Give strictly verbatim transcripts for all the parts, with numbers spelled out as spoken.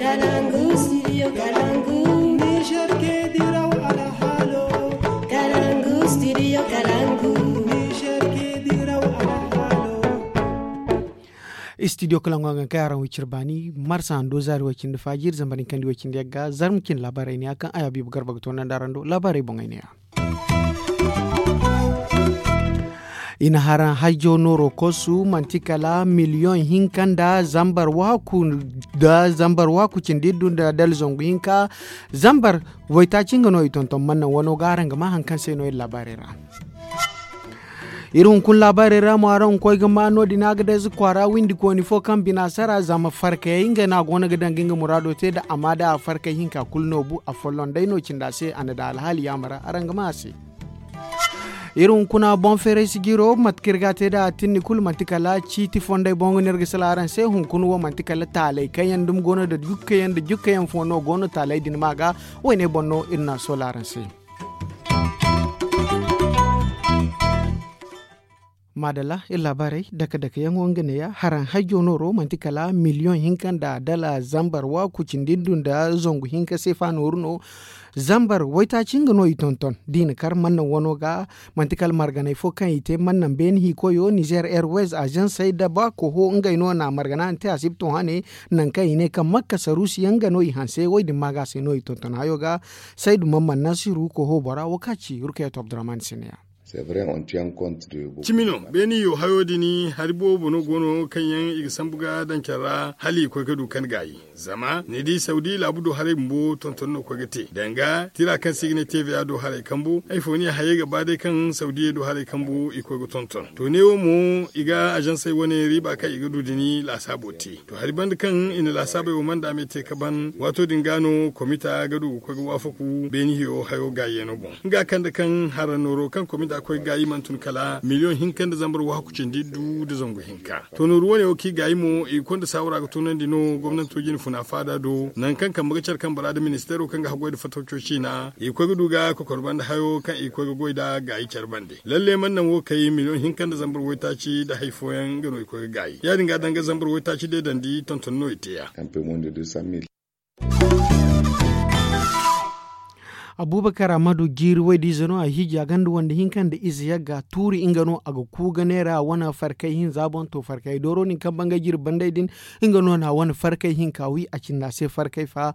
Kalangu, studio Kalangu. Niger ke diraw alhalo. Kalangu, studio Kalangu. Niger ke diraw alhalo. Studio Kalangu a ga kay araŋ wicir baani marsa hando zaari way cindi faajir zambar hinkandi way cindi yagga zarma cin laabaarey ne ya kaŋ ay habiibu garba ga toonandi araŋ do laabaarey boŋey ne ya. I na haraŋ hajjo nooro kosu manti kala miliyoŋ hinka nda zambar waaku nda zambar waaku cindi iddu nda dala zangu hinka zambar waytaaci nga no i tonton mannaŋ wano ga araŋ ga maa hari kaŋ se no iri laabaarey ra. Iri hunkuna laabaarey ra mo araŋ ga koy ga maa no- din a ga dayze kwaara windi kooni fo kaŋ bina sara zama farkayey nga no a go no ga daŋ ga nga muraado te nda amma da a farkay hinka kulu no bu a folloŋ day no cindi a se a na daŋ alhaali yaama ra araŋ ga maa a se. Iri hunkuna boŋ feeray sijiro mate kaŋ iri ga a te nd'a a tinni kulu manti kala ciiti fondey boŋ ga no iri ga sala araŋ se hunkuna wo manti kala taaley kaŋ yaŋ dumi go no nda jukkayaŋ nda jukkayaŋ fo no go no taaley din ma ga. Woyne boŋ no iri na a soola araŋ se. Maadalla iri laabaarey dake dake yaŋo nga neeya haraŋ hajjo nooro manti kala miliyoŋ hinka nda dala zambar waaku cindi ndu nda zangu hinka seefa nooru no. Zambar waytaaci nga no i tonton da i na kar mannaŋ wano ga. Manti kala marganey fo kaŋ i te mannaŋ beene hikoyo nizer airways azansey da ba koho ngey no na margana nda te asibto hane. Nangu kaŋ i ne kaŋ makka saruusi yaŋ nga no i hanse wo- din ma ga se no i tonton hayo ga. Saydu mamman nasiru koho bora wo kaŋ a ci rukayatu abdurrahman se neeya. Cimi no beeni yo hayo din hari boobo no go no kaŋ yaŋ i ga sambu ga daŋ care ra hala i koy ga du kaŋ gaayi. Zama ni di sawdi laabu do haray bumbo tonton no koy ga te danga tira kaŋ se i ga ne tv a do haray kambu ay fo ni a hayey ga ba day kaŋ sawdiyey do haray kambu i koy ga tonton to neewo mo i ga azansey wane riiba kaŋ i ga du din laasaabo te. To hari banda kaŋ i na laasaabey wo manda me te ka ban waato din ga no komita ga du ga koy ga waafaku beeni hiyo hayo gaayi yaŋo boŋ. Nga kande kaŋ hara nooro kaŋ komita koy gaayi mana tun kala miliyoŋ hinka nda zambar waaku cindi du nda zangu hinka. To nooru wane wo kaŋ i gaayi mo i ga konda saawara ga toonandi no gomnanto jine funa faada do nangu kaŋ kambe ga care kambe ra nda ministeero kaŋ ga haggoy nda fatawco ciina i ga koy ga du ga kokor banda hayo kaŋ i ga koy ga goy nd'a gaayi care bande. Lalle mana naŋ wo kay miliyoŋ hinka nda zambar waytaaci nda hari fooyaŋ nga no i koy ga gaayi ya- din ga danga zambar waytaaci deedandi tonton no i te ya. Abuubakar ammadu jiiri waydiize no a hiiji a gonda wande hinka nda ize yagga tuuri nga no a ga ku ga neera a wane farkay hinza boŋ to farkay dooro din kaŋ bangay jiiri banday din. Nga no na a wane farkay hinka wi a cindi a se farkay fa.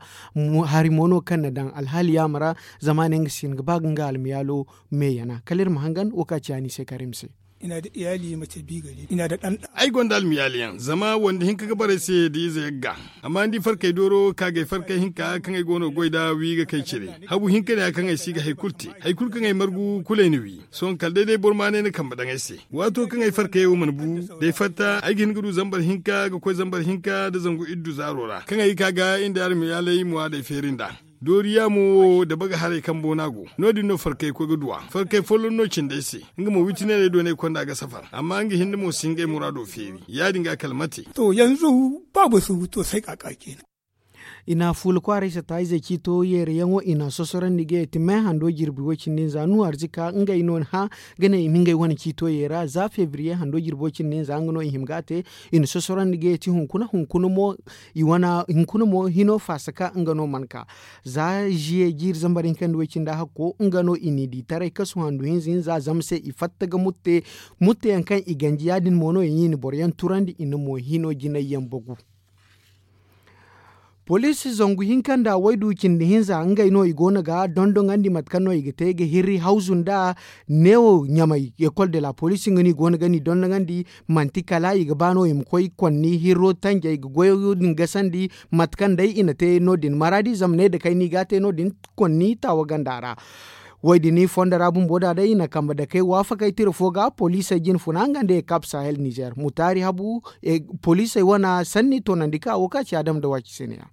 Hari mo no kaŋ na daŋ alhaali yaama ra. Zama a ne nga si hin ga ba ga nga almiyaalo meeyana kala iri ma hangan wo kaŋ a ci a ni se kar iri ma se. Ay gonda almiyaali yaŋ zama wande hinka ga barey se da ize yagga. Amma ni di farkey dooro kaagay farkey hinka kaŋ ay go no ga goy nd'a wi ga kay cire. Habu hinka ne ya kaŋ ay si ga hari kulu te hari kulu kaŋ ay margu kulu ay na wi. Sohõ kala day day boro ma ne ni kambe daŋ ay se. Waato kaŋ ay farkey wo mana bu da ay fatta ay ga hin ga du zambar hinka ga koy zambar hinka nda zangu iddu zaaro ra kaŋ ay ga ka ga iri nda almiyaaley muwaadey feeri nd'a. Dooriya mo wo dabaga haray kambo no a go no- din no farkay koy ga duw'a farkay folloŋ no cindi ay se. Nga mo witi neerey do no ay konda ga safar amma nga hinne mo si hin ga ay muraado feeri ya- din ga kala mate. To yanzu babu su to sai kaka kenan. I na fuula kwaaray satta izey ciito yeere yaŋo i na a sosorandi ga ye ti me hando jirbi way cindi hinza nuhu arzika ngey no ni hã ga ne i ma ngey wane ciito yeera za febriye hando jirbi way cindi hinza nga no i hima ga a te. I na sosorandi ga ye ti hunkuna hunkuna mo i wane hunkuna mo hino faasa ka nga no mana ka. Za ziye jiiri zambar hinka nda way cindi hakko nga no i n'i di taray kasu handu hinza hinza zama se i fatta ga mutte. Mutte yaŋ kaŋ i ganji ya- din mo no i n'i na boro yaŋ turandi i na mo hino jinay yaŋ bagu. Poliisi zangu hinka nda waydu cindi hinza ngey no i go no ga dondoŋandi mate kaŋ no i ga te ga hirri hawzu nda neewo ɲamay ekol de la poliisi nga no i go no ga ni dondoŋandi. Manti kala i ga ba no i ma koy konni hirro tanjey ga goyo din gasandi. Mate kaŋ day i na te no- din maraadi zama ne da kay no i ga a te no- din konni taawa ganda ra. Way din fondo ra bumbo da day i na kambe dakey waafakey tira fo ga poliisey jine funa nga nda ekap sahel nizer mutaari habu. Poliisey wana sanni toonandi ka wo ka ci adama da waaci se ne ya.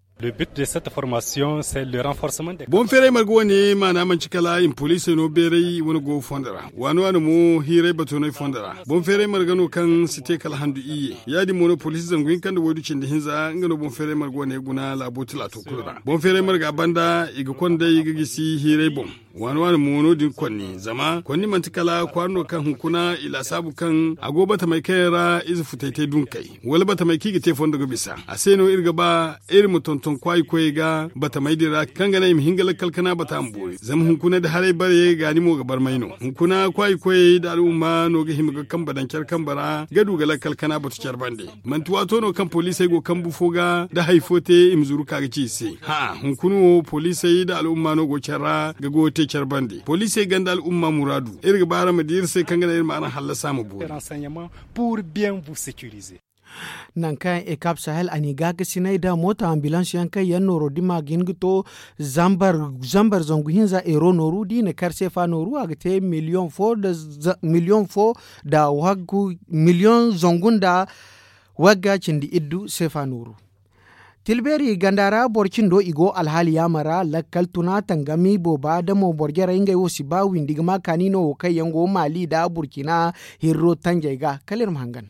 Boŋ feeray marga wane maana manci kala i ma poliisey no beeray i wane go fondo ra waano waano mo hiiray bato no ay fondo ra. Boŋ feeray marga no kaŋ si te kala handu iyye ya- din mo no poliisi zangu hinka nda waydu cindi hinza nga no boŋ feeray marga wane guna laabo tilaato kulu ra boŋ feeray marga banda i ga konday ga gisi hiiray boŋ. Waani waani mo no- din konni zama konni manti kala kwaara no kaŋ hunkuna i laasaabu kaŋ a go batamey kaŋ yaŋ ra ize futay te dunkey wala batamey kaŋ i ga te fondo ga bisa a se no iri ga ba iri ma tonton kwaayi koyey ga batamey din ra kaŋ ga naŋ i ma hin ga lakkal kana bata ma boori zama hunkuna da haray bare gaani mo ga barmay no. Hunkuna kwaayi koyey nda al'umma no ga hima ga kambe daŋ care kambe ra ga du ga lakkal kana batu care bande. Manti waato no kaŋ poliisey go kambu fo ga da hari fo te i ma zuru ka ga ci i se. Hã'a hunkuna wo poliisey nda al'umma no go care ra ga goyo te care bande poliisey gonda al'umma muraadu. Iri ga ba araŋ ma di iri se kaŋ ga naŋ iri ma araŋ hallasa ma boori. Nangu kaŋ ekap sahel a n'i gaakasinay nda mooto ambulans yaŋ kaŋ yaŋ nooro dima ga hin ga to zambar zangu hinza euro nooru da i na kar seefa nooru a ga te miliyoŋ fo nda waggu miliyoŋ zangu nda wagga cindi iddu seefa nooru. Tilbeeri ganda ra boro cindo i go alhaali yaamar ra lakkal tuna tangami booba da mo boro jarey ngey wo si ba windi ga ma kaani no wo kaŋ yaŋ go maali nda burkina hirro tanjey ga kala iri ma hangan.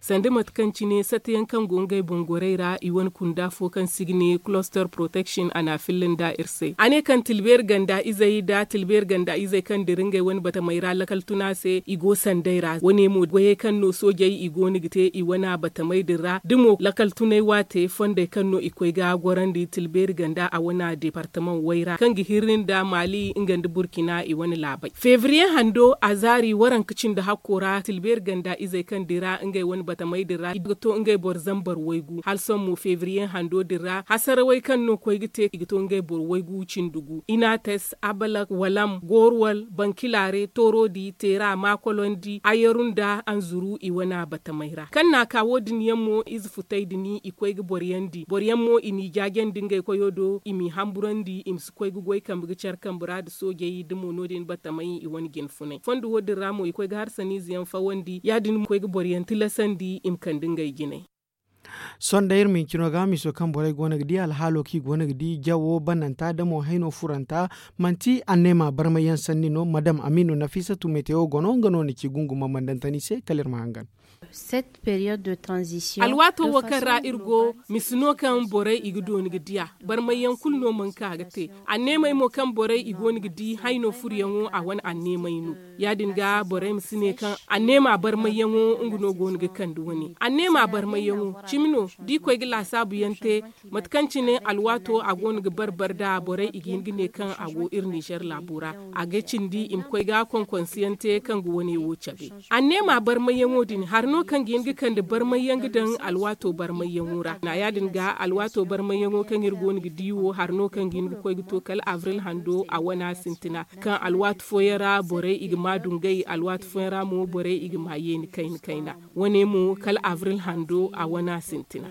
Sanda mate kaŋ cine sata yaŋ kaŋ go ngey boŋ gorey ra i wane kunda fo kaŋ si ga ne cluster protection a na a filla nda iri se a ne kaŋ tilbeeri ganda izey nda tilbeeri ganda izey kaŋ dira ngey wane batamey ra lakkal tuna se i go sanday ra wane mo goyey kaŋ no soojey i go no ga te i wane batamey din ra da mo lakkal tunay waate fondey kaŋ no i koy ga gorandi tilbeeri ganda a wane departamaŋ way ra kaŋ ga hirri nda maali nga nda burkina i wane laabey febriye hando a zaari waranka cindi hakko ra tilbeeri ganda izey kaŋ dira ngey wane batamey din ra i ga to ngey boro zambar waygu hala sohõ mo febriye hando din ra hasarawey kaŋ no koy ga te i ga to ngey boro waygu cindi gu inates abalak walam goruwal bankilaare toorodi teera maakolondi ayaru nda anzuru i wane batamey ra kaŋ na a ka wo- din yaŋ mo ize futay din i koy ga boro yaŋ di boro yaŋ mo i n'i jaajandi ngey koyo do i m'i hamburandi i ma si koy ga goy kambe ga care kambe ra nda soojey da mo no- din batamey i wane jine funay fondo wo- din ra mo i koy ga harsaniize yaŋ fawandi ya- din mo i koy ga boro yaŋ tilasandi i ma kande ngey jinay. Sohõ day iri ma hincino ga miiso kaŋ borey go no ga di alhaalo kaŋ i go no ga di jawo bananta da mo hayno furanta manti anneema barmay yaŋ sanni no madam amiino nafiisatu metewo go no nga no na ci gunguma mandantani se kala iri ma hangan. Alwaato wo kaŋ ra iri go misi no kaŋ borey i ga dooni ga di a barmay yaŋ kulu no mana ka ga te anneemey mo kaŋ borey i go no ga di hayno furuyaŋo a wane anneemey no ya- din ga borey ma si ne kaŋ anneema barmayyaŋo nga no go no ga kande wane anneema barmayyaŋo cimi no da i koy ga laasaabu yaŋ te mate kaŋ cine alwaato a go no ga bar-bar nda borey i ga hin ga ne kaŋ a go iri nizer laabo ra a ga cindi i ma koy ga konkonse yaŋ te kaŋ ga wane wo cabe anneema barmayyaŋo din hari no kaŋ ga hin ga kande barmayyaŋ ga daŋ alwaato barmayyaŋo ra na ya- din ga alwaato barmayyaŋo kaŋ iri go no ga di wo hari no kaŋ ga hin ga koy ga to kala abril hando a wana sintina kaŋ alwaati fooyaŋ ra borey i ga ma dungay alwaati fooyaŋ ra mo borey i ga ma yeeni kayna kayna wane mo kala abril hando a wana sintina.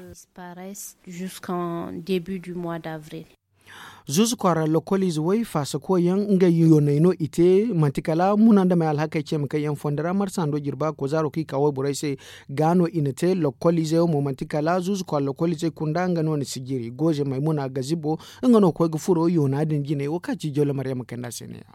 Zuuzu kwaara lokoliize way faasa koy yaŋ ngey yooney no i te manti kala muna nda may alhakey ceema kaŋ yaŋ fondo ra marsa hando jirba kozaaro kaŋ i ka wayborey se ga no i na te lokoliizey wo mo manti kala zuuzu kwaara lokoliizey kunda nga no na sijiri gooze maymuna gazibo nga no koy ga furo yoona din jinay wo kaŋ ci jawle maryama kayna se ne ya.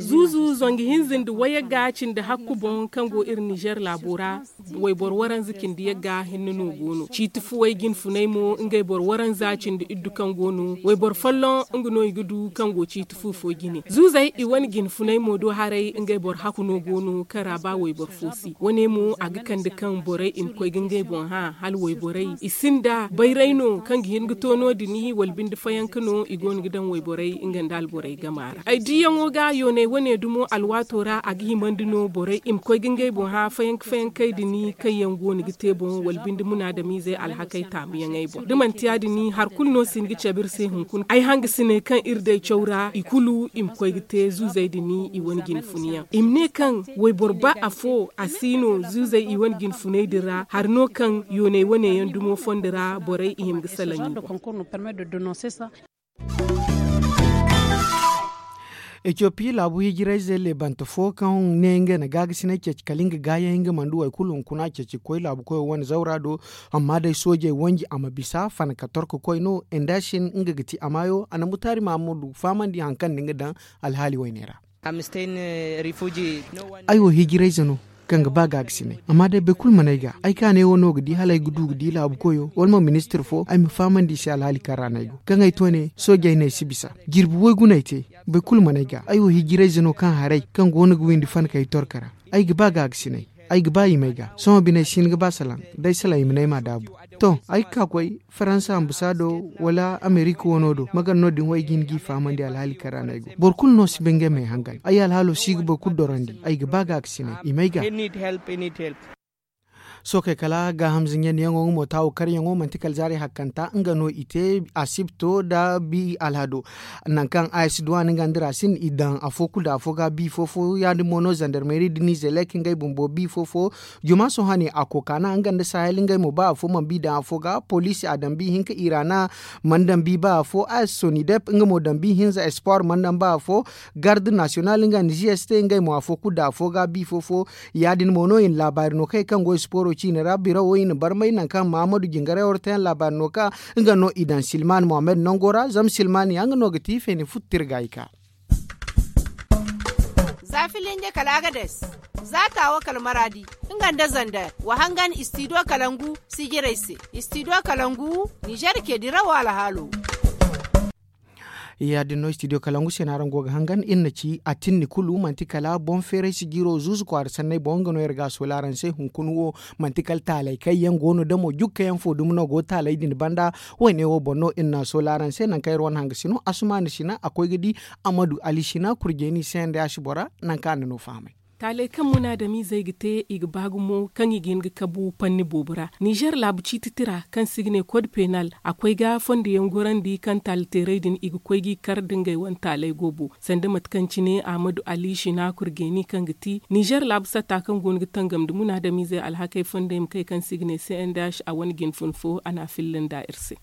Zuuzu zangu hinza nda wayagga cindi hakku boŋ kaŋ go iri nizer laabo ra wayboro waranza cindi yagga hinne no go no ciiti fuwey jinfuney mo ngey boro waranza cindi iddu kaŋ go no wayboro folloŋ nga no i ga du kaŋ go ciiti fu fo jine zuuzey i wane jinfuney mo do haray ngey boro hakku no go no kaŋ ra ba wayboro fo si wane mo a ga kande kaŋ borey i ma koy ga ngey boŋ hã hala wayborey i sinda bayray no kaŋ ga hin ga to no- din wala binde fayanka no i go no ga daŋ wayborey nga nda alborey gama ra ay diyaŋo ga yooney wane dumo alwaato ra a ga himandi no borey i ma koy ga ngey boŋ hã fayanka fayankey din kaŋ yaŋ go no ga te boŋ wala binde munaadamiizey alhakey taamuyaŋey boŋ da manti ya- din hari kulu no si hin ga cabe iri se hunkuna ay hangasiney kaŋ iri day caw ra i kulu i ma koy ga te zuuzey din i wane jinfuniyaŋ i ma ne kaŋ wayboro ba afo a si no zuuzey i wane jinfuney din ra hari no kaŋ yooney wane yaŋ dumo fondo ra borey i hima ga salaŋ i boŋ. Etiyopi laabu hijirayze leebante fo kaŋ ne nga na gaagasinay ceeci kala nga gaayaŋ nga mana du waykulu hunkuna ceeci ga koy laabu koyo wane zawra do. Amma day soojey wanji a ma bisa fana ka torko koy no. Nda sin nga ga ti a maayo a na mutaari mahammadu fahamandi hari kaŋ na nga daŋ alhaali wayne ra. Ay wo hijirayze no. Kaŋ ga ba gaagasinay. Amma day boro kulu mana ay ga ay kaanay wo no ga di hala ay ga du ga di laabu koyo wala mo ministir fo ay ma fahamandi i se alhaali kaŋ ra no ay go kaŋ ay to ne soojey no ay si bisa. Jirbi woy guna ay te. Boro kulu mana ay ga ay wo hijirayze no kaŋ haray kaŋ go no ga windi fankey torka ra. Ay ga ba gaagasinay. Ay ga ba i ma ay ga sohõ bine ay si hin ga ba salaŋ. Day salaŋ i ma ne ay ma a daabu. To ay ga ka koy faransa ambasaado wala amerika wano do ma gar no din wo ay ga hin g'i fahamandi alhaali kaŋ ra no ay go boro kulu no si bay ngey ma ay hangan ay alhaalo si ga boro kulu dorandi ay ga ba gaagasinay i ma ay ga. Sookey kala gaahamza ɲandiyaŋo nga mo taawo karyaŋo manti kala zaari hakkanta nga no i te asibto nda bi alhado. Nangu kaŋ a si duw'a no nga nda racine i daŋ afo kulu nda afo ga bi fo-fo ya- din mo no zandarmeri nda nizelek ngey bumbo bi fo-fo. Juma sohõ a ne a kokaana nga nda sahel ngey mo ba afo mana bi daŋ afo ga poliisi a daŋ bi hinka irana mana daŋ bi ba afo a si sonidep nga mo daŋ bi hinza espoir mana daŋ ba afo. Garde nasiyonal nga nda g s t ngey mo afo kulu nda afo ga bi fo-fo. Ya- din mo no i na laabaari no kay kaŋ go i sipooro ciine ra birawo i na barmay nangu kaŋ mahamadu jingaray wara te yaŋ laabaari no ka nga no i daŋ silman mohammed nango ra zama silman ya nga no ga ti feeni futtir ga i ka. Za filinje kala agades, za taawo kala maraadi, nga nda zander wa hangan istidiyo kalangu sijirey se. Istidiyo kalangu nizer ke dirawo alhaalo. Ya- din no istidiyo kalangu se no araŋ go ga hangan iri na ci a tinni kulu manti kala boŋ feeray sijiro zuuzu kwaara sanney boŋ nga no iri ga a soola araŋ se hunkuna wo. Manti kala taalay kaŋ yaŋ go no damo jukka yaŋ fo dumi no go taalay din banda. Wayne wo boŋ no iri na a soola araŋ se nangu kaŋ iri wane hanga si no asumaana sina a koy ga di. Amadu ali sina kurjeeni se nda ya si bora nangu kaŋ a na no fahamay. Taaley kaŋ munaadamizey ga te i ga ba gumo kaŋ i ga hin ga kabu panni boobo ra nizer laabu ciiti tira kaŋ se i ga ne kod penal a koy ga fondoyaŋ gorandi kaŋ taali teerey din i ga koy g'i kar nda ngey wane taaley goobo. Sanda mate kaŋ cine ahmadu ali shina kurgeeni kaŋ ga ti nizer laabu satta kaŋ go no ga tangam nda munaadamizey alhakey fondey ma kay kaŋ se i ga ne cndh a wane jinfun fo a na a filla nda iri se.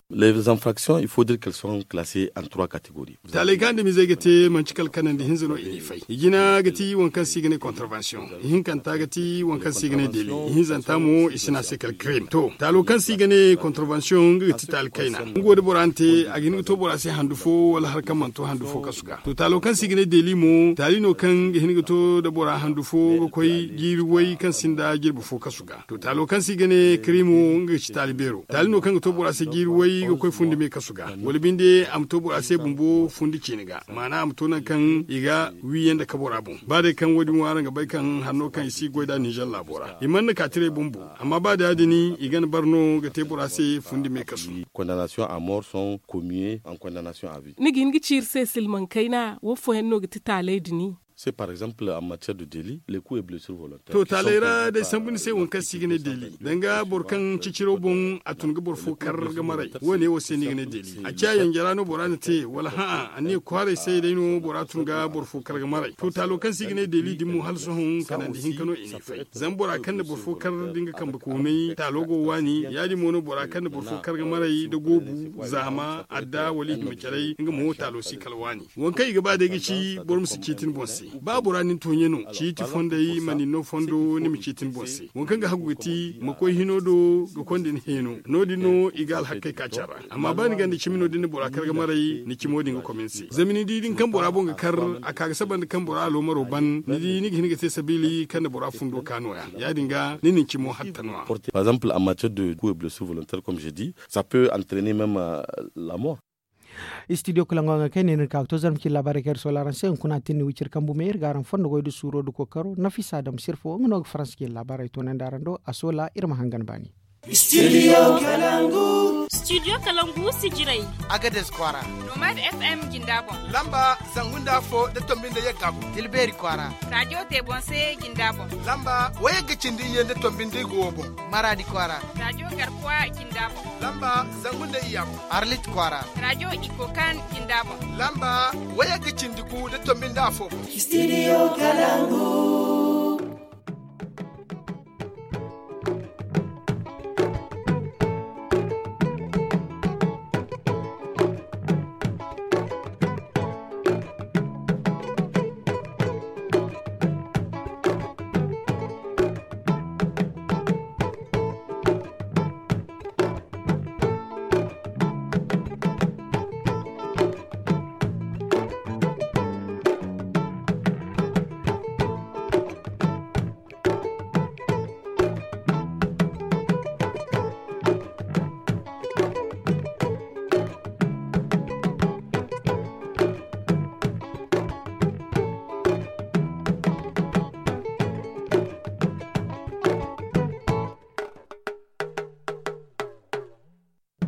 Taaley kaŋ andamizey ga te manci kala kanandi hinza no i n'i fay i jina ga ti waŋ kaŋ se i ga ne kontarvansiyoŋ. Ihinkanta ga ti waŋ kaŋ se i ga ne deli. Ihinzanta mo i si ne a se kala kirim to taalo kaŋ se i ga ne kontarvansiyoŋ nga ga ti taali kayna. Nga wo da bora na te a ga hin ga to bora se handu fo wala hari kaŋ mana to handu fo kasu ga to taalo kaŋ se i ga ne deli mo taali no kaŋ ga hin ga to da bora handu fo ga koy jiiri way kaŋ sinda jirbi fo kasu ga. To taalo kaŋ se i ga ne kirimo nga ga ci taali beero taali no kaŋ ga to bora se jiiri way ga koy fundi me kasu ga wala binde a ma to bora se bumbo fundi ciine ga. Maana a ma to nangu kaŋ i ga wiiyaŋ nda kabora boŋ ba day kaŋ wo- din wo araŋ ga bay kaŋ hanno kaŋ i si goy nd'a nizer laabo ra i mana na kaatiray bumbo. Amma ba da ya- din i gana bar no ga te bora se fundi me kasu. Ni ga hin ga ci iri se silmaŋ kayna wo fooyaŋ no ga ti taaley din? To taaley ra day sambu ni se waŋ kaŋ se i ga ne deli danga boro kaŋ ciciro boŋ a tun ga boro fo kar ga maray. Wo- ne wo se no i ga ne deli a ciya yanjara no bora na te wala hã'a anniya kwaaray se day no bora tun ga boro fo kar ga maray to taalo kaŋ se i ga ne deli din mo hala sohõ kanandi hinka no i n'i fay. Zama bora kaŋ na boro fo kar da nga kambe koonay taalo go waani ya- din mo no bora kaŋ na boro fo kar ga maray da goobu zaama adda wala i hima caray nga mo taalo si kala waani. Waŋ kaŋ i ga ba day ga ci boro ma si ciiti ni boŋ se. Ba bora nin tooɲe no ciiti fondey ma nin no fondo ni ma ciiti ni boŋ se waŋ kaŋ ga hagu ga ti ma koy hino do ga konda ni heeno. No- din no i ga alhakkey ka care ra. Amma ba ni ganda cimi no da ni na bora kar ga maray ni cimo din ga komin se zama ni di din kaŋ bora boŋ ga kar a ka ga saba nda kaŋ bora aloomaro ban ni di ni ga hin ga te sabiili kaŋ na bora fundo ka nooya ya- din ga ni na ni cimo hatta no- ya. Par exemple en matière de coup et blessure volontaire comme je dis, ça peut entraîner même la mort. Istidiyo kalaŋo yaŋ ga kay ne no iri ka ga to zarma cine laabaarey kaŋ iri soola araŋ se hunkuna a tinni wiciri kambu me iri ga araŋ fondo goy nda suuro nda kookaro nafisa dam sirfo nga no ga faransa cine laabaarey toonandi araŋ do a soola iri ma hangan baani. Istidiyo kalangu. Istidiyo kalangu sijirey. Agades kwaara. Nomad f m jinda boŋ. Lamba zangu nda afo nda tombi nda yagga boŋ. Tilbeeri kwaara. Rajo te boŋ se jinda boŋ. Lamba wayagga cindi iyye nda tombi nda igo wo boŋ. Maraadi kwaara. Rajo garkuwa jinda boŋ. Lamba zangu nda iyya boŋ. Arlit kwaara. Rajo ikokan jinda boŋ. Lamba wayagga cindi gu nda tombi nda afo boŋ. Istidiyo kalangu.